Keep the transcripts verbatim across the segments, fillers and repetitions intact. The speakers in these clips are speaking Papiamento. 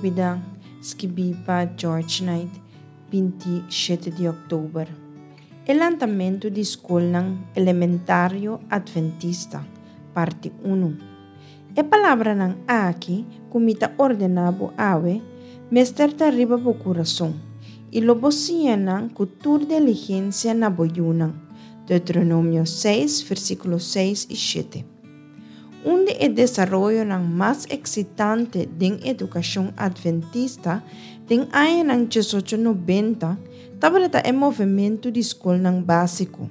Lubidá, skibí pa George Knight, binti shete di òktober. E lantamentu di skolnan elementario Adventista, parti unu. E palabranan aki ku mi ta ordená bo awe, mester ta riba bo kurason, i lo bo siña nan ku tur diligensia na bo yunan. Deuteronomio seis, versíkulo seis i shete. Un di e desaroyonan mas eksitante den edukashon Adventista den añanan diesocho nobenta tabata e movementu di skolnan básiko.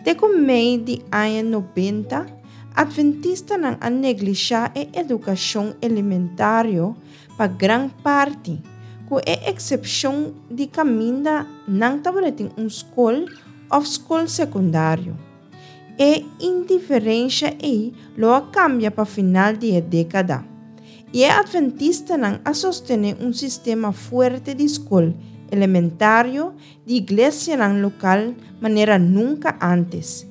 Te ku mei di aña nobenta, Adventistanan a neglishá e edukashon elementario pa gran parti, ku e eksepshon di kaminda nan tabatin un skol òf skol sekundario. E indiferensha ei lo a kambia pa final di e dékada, i e Adventistanan a sostené un sistema fuerte di skol elementario di iglesianan lokal manera nunka ántes.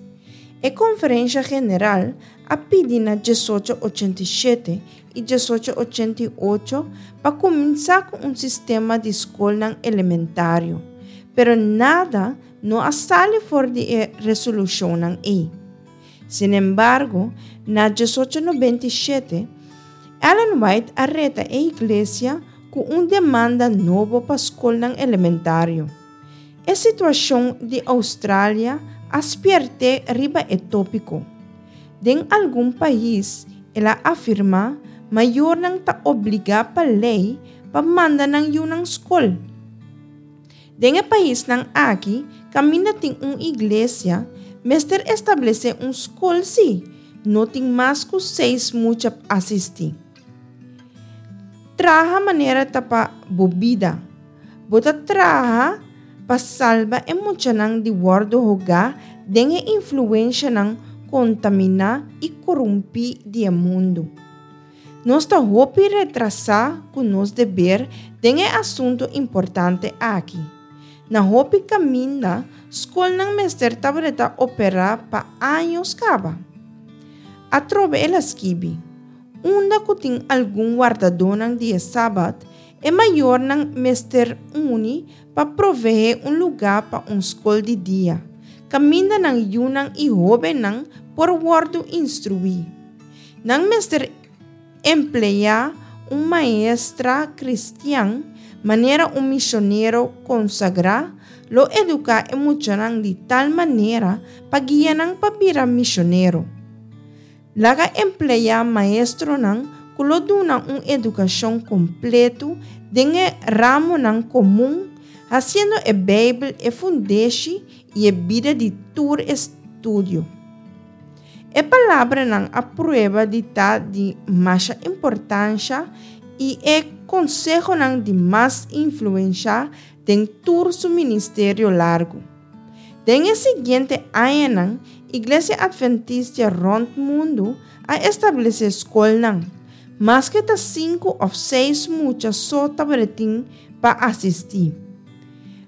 E Konferensha General a pidi na diesocho ochenta i shete i diesocho ochenta i ocho pa kuminsá ku un sistema di skolnan elementario, pero nada no a sali for di e resolushonnan ei. Sinembargo, na diesocho nobenta i shete, Ellen White a reta e iglesia ku un demanda nobo pa skolnan elementario. E situashon di Australia a spièrt'é riba e tópiko. Den algun pais, el a afirmá, mayornan ta obligá pa lei pa manda nan yunan skol. Den e paisnan aki, kaminda tin un iglesia, mester establesé un skol si no tin mas ku seis mucha asistí. Traha manera ta pa bo bida. Bo ta traha pa salba e muchanan di wòrdu hogá den e influenshanan kontaminá i korumpí di e mundu. Nos ta hopi retrasá ku nos deber den e asuntu importante aki. Na hopi kaminda, skolnan mester tabata operá pa años kaba. Atrobe el a skibi, Unda ku tin algun wardadónan di e Sabat, e mayornan mester uni pa proveé un lugá pa un skol di dia, kaminda nan yunan i hóbennan por wòrdu instruí. Nan mester empleá un maestra kristian manera un misionero konsagrá lo eduká e muchanan di tal manera pa guia nan pa bira misionero. Laga empleá maestronan ku lo duna un edukashon kompletu den e ramonan komun, hasiendo e Beibel e fundeshi i e bida di tur estudio. E palabranan a prueba di ta di masha importansha i e konsehonan di mas influensha den tur su ministerio largu. Den e siguiente añanan, Iglesia Adventista rònt mundu a establesé skolnan, maske ta sinku òf seis mucha so tabatin pa asistí.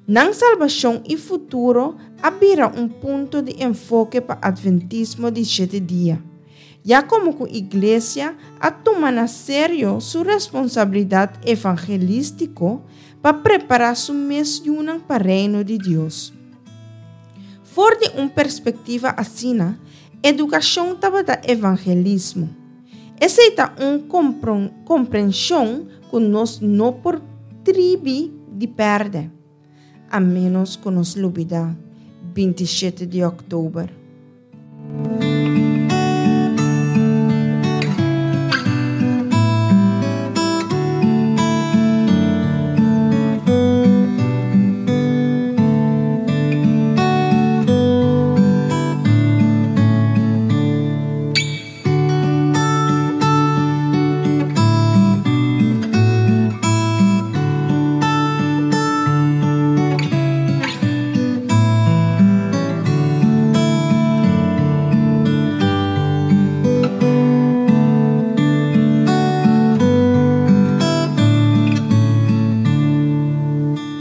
Nan salbashon i futuro a bira un punto di enfoke pa Adventismo di shete dia, ya komo ku Iglesia a tuma na serio su responsabilidat evangelístiko pa prepará su mes yunan pa Reino di Dios. For di un perspektiva asina, edukashon tabata evangelismo. Esei ta un komprenshon ku nos no por tribi di pèrdè, a ménos ku nos lubidá binti shete di òktober.